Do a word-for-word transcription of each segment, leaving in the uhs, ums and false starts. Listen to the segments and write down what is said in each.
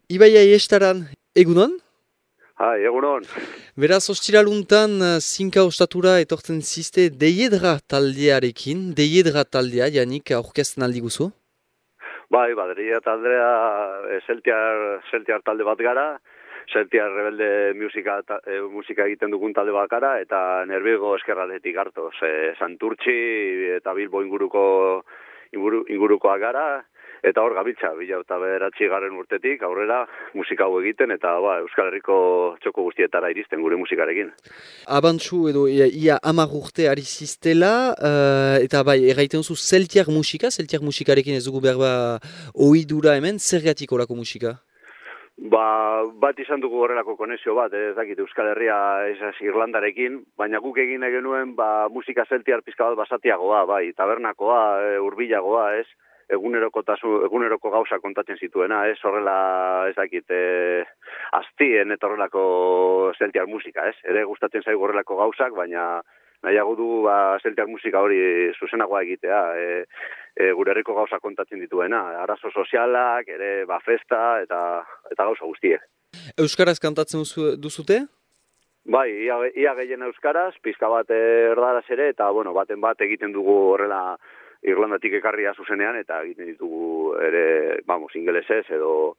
Ibai Aiestaran, egunon? Hai, egunon. Beraz, ostiraluntan zinka ostatura etortzen ziste Deiedra taldearekin, Deiedra taldea, Janik, aurkezten aldi guzu? Bai, baderia taldea e, Celtiar, Celtiar talde bat gara, Celtiar rebelde musika, ta, e, musika egiten dugun talde bat gara, eta Nerbigo eskerradetik hartoz. E, Santurtzi eta Bilbo inguruko inguru, ingurukoak gara, eta hor gabiltza, bila eta beratzi garen urtetik, aurrera musika hau egiten, eta ba, Euskal Herriko txoko guztietara iristen gure musikarekin. Abantxu edo ia, ia amar urte ari ziztela, uh, eta bai, erraiten zu Celtiar musika, Celtiar musikarekin ez dugu berba ohidura hemen, zergatik horako musika? Ba, bat izan dugu horrelako konexio bat, ez dakit Euskal Herria ez Irlandarekin, baina guk egin genuen ba, musika Celtiar pizka bat basatiagoa, bai, tabernakoa, e, hurbilagoa, ez, eguneroko, tasu, eguneroko gauza kontatzen zituena, ez, horrela, ez dakit, e, aztien eta horrelako Celtiar musika, ez, ere gustatzen zaigu horrelako gauzak, baina nahiago du ba, Celtiar musika hori zuzenagoa egitea, e, e, gure herriko gauza kontatzen dituena, arazo sozialak, ere ba, festa eta eta gauza guztiek. Euskaraz kantatzen duzu- duzute? Bai, ia, ia gehien euskaraz, pizka bat erdaraz ere, eta bueno, baten bat egiten dugu horrela Irlandatik ekarria zuzenean, eta egiten ditugu ere, vamos, ingelesez edo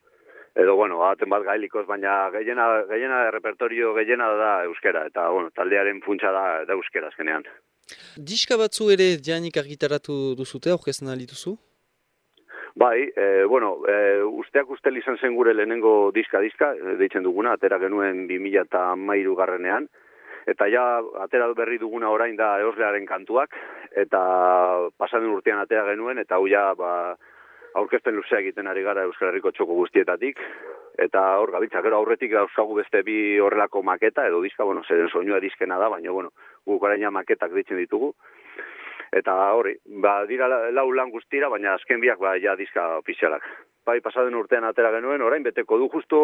edo bueno, baten bat gaelikoz, baina gehiena gehiena repertorio gehiena da euskera, eta bueno, taldearen funtsa da, da euskera azkenean. Diska batzu ere Janik argitaratu duzute, aurkezten aldi duzu? Bai, e, bueno, e, usteak ustel izan zen gure lehenengo diska-diska, deitzen duguna, atera genuen bi mila hamairu garrenean, eta ja, atera berri duguna orain da Eoslearen kantuak, eta pasaden urtean atera genuen, eta hau ja, ba, aurkezpen luzea egiten ari gara Euskal Herriko txoko guztietatik, eta hor gabiltza, gero aurretik dauzkagu beste bi horrelako maketa, edo diska, bueno, zeren soinua diskena da, baina, bueno, guk oraina maketak ditzen ditugu, eta hori, ba, dira lau lan guztira, baina azken biak ba, ja diska ofizialak. Bai, pasaden urtean atera genuen, orain beteko du justo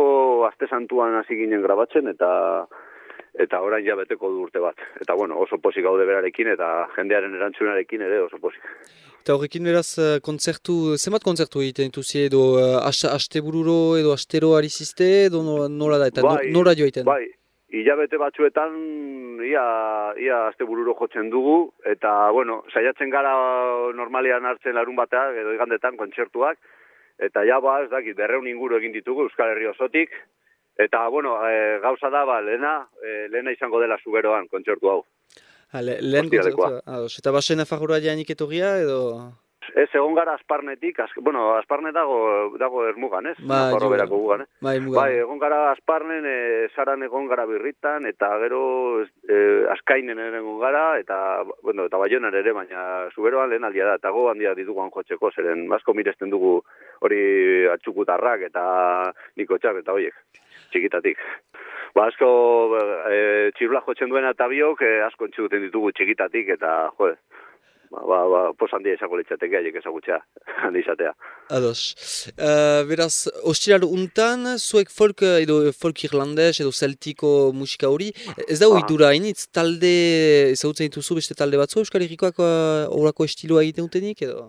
aste santuan hasi ginen grabatzen, eta eta orain ja beteko du urte bat. Eta bueno, oso pozik gaude berarekin, eta jendearen erantzunarekin ere oso pozik. Eta horrekin beraz, eh, kontzertu, zenbat kontzertu egiten dituzi edo uh, astebururo edo astero ari ziste edo no- nola da, eta no- Bai, nora joiten? bai, hilabete batzuetan ia, ia astebururo jotzen dugu, eta bueno, saiatzen gara normalean hartzen larun batean edo igandetan kontzertuak, eta ja ba, ez dakit, berreun inguru egin ditugu Euskal Herri osotik, eta bueno, e, gauza da, ba, lehena, e, lehena izango dela zuberoan kontzertu hau. Ha, le, lehen Ostiralekoa. kontzertua. Ados, eta basen afarroa Janik etorria edo... Ez, egon gara Asparnetik, az, bueno, Asparne dago, dago ermugan, ez? Ba, Nafarro jo, berako gugan, eh? bai, muga. Bai, egon gara Asparnen, e, Saran egon gara Birritan, eta gero e, Azkainen ere egon gara, eta, bueno, eta Baionan ere, baina zuberoan lehen aldia da, eta go handia dituguan jotzeko, zeren asko miresten dugu hori atxukutarrak eta nikotxak eta hoiek, txikitatik. Ba, asko e, txirula jotzen duena eta biok, e, asko entzuten ditugu txikitatik, eta, jode, Ba, ba, ba, pos handia izango litzateke, haiek ezagutzea, handi izatea. Ados. Uh, beraz, ostiral untan, zuek folk edo folk irlandes edo celtiko musika hori, ez da ohitura hainitz, talde ezagutzen dituzu beste talde batzu Euskal Herrikoak horako estiloa egiten dutenik edo?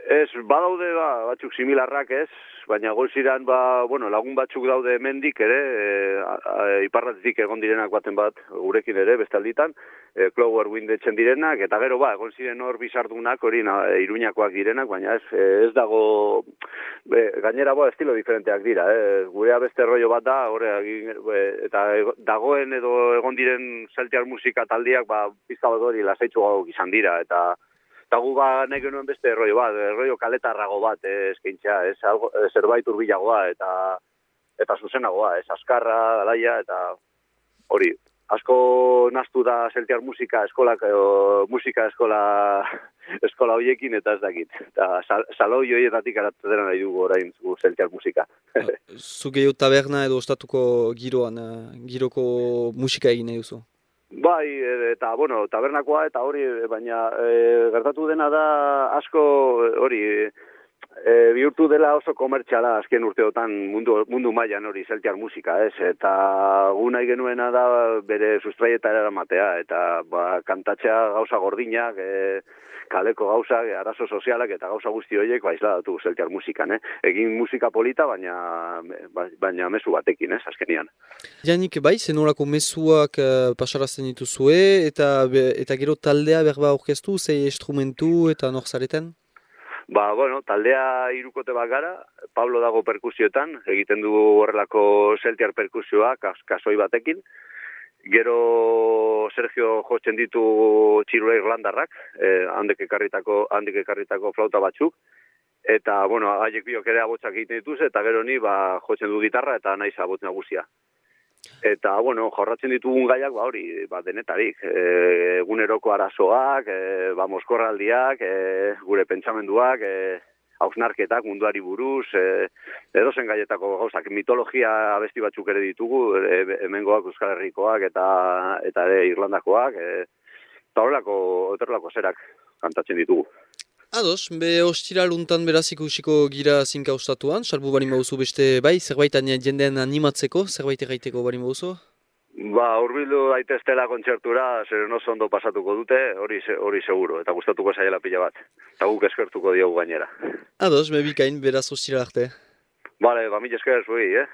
Ez, badaude ba, batzuk similarrak ez, baina golziran ba, bueno, lagun batzuk daude hemendik ere, e, iparratetik egon direnak baten bat gurekin ere, bestalditan, e, Clover Wind etzen direnak, eta gero ba, egon ziren hor bizardunak, hori na, e, Iruñakoak direnak, baina ez, ez dago, be, gainera ba, estilo diferenteak dira, eh? Gurea beste rollo bat da, hori, eta dagoen edo egon diren Celtiar musika taldiak, ba, pizka bat hori lasaitxu gauk izan dira, eta Eta gu ba nahi genuen beste erroi bat, erroio kaletarrago bat eh, eskaintzea, ez, algo, eh, zerbait urbilagoa eta eta zuzenagoa, ez, askarra, alaia, eta hori, asko naztu da Celtiar musika eskolak, o, musika eskola eskola hoiekin eta ez dakit. Eta sal, saloi hoietatik aratzen nahi dugu orain gu Celtiar musika. Zu gehiago taberna edo ostatuko giroan, uh, giroko musika egin nahi duzu? Bai, eta, bueno, tabernakoa eta hori, baina e, gertatu dena da asko hori, e, bihurtu dela oso komertxala azken urteotan mundu, mundu mailan hori zeltiar musika, ez? Eta gu nahi genuena da bere sustraietara eramatea, eta ba, kantatzea gauza gordinak, e, kaleko gauzak, arazo sozialak eta gauza guzti horiek ba, isladatu zeltiar musikan, eh? Egin musika polita, baina, baina mezu batekin, ez, azkenian. Janik, bai, zenolako mezuak uh, pasarazten dituzue, eta, eta gero taldea berba orkestu, zei instrumentu eta nor zareten? Ba, bueno, taldea hirukote bat gara, Pablo dago perkusioetan, egiten du horrelako zeltiar perkusioa, kas, kasoi batekin. Gero Sergio jotzen ditu txirula irlandarrak, eh, handek ekarritako, handek ekarritako flauta batzuk, eta, bueno, haiek biok ere abotsak egiten dituz, eta gero ni, ba, jotzen du gitarra eta naiz abotz nagusia. Eta, bueno, jorratzen ditugun gaiak, ba, hori, ba, denetarik, e, eguneroko arazoak, e, ba, moskorraldiak, e, gure pentsamenduak, e, hausnarketak munduari buruz, e, edozen gaietako gauzak, mitologia abesti batzuk ere ditugu, e, hemengoak, Euskal Herrikoak eta eta ere Irlandakoak, e, eta horrelako, horrelako zerak kantatzen ditugu. Ados, be ostiral untan beraz ikusiko gira zinka ustatuan, salbu bari mauzu beste bai, zerbait jendean animatzeko, zerbait erraiteko bari mauzu? Ba, urbildu daiteztela kontzertura, zer oso ondo pasatuko dute, hori hori seguro, eta gustatuko zaiela pila bat. Eta guk eskertuko diogu gainera. Ados, me bikain, beraz ostiral arte. Bale, ba, mila esker zuei, eh?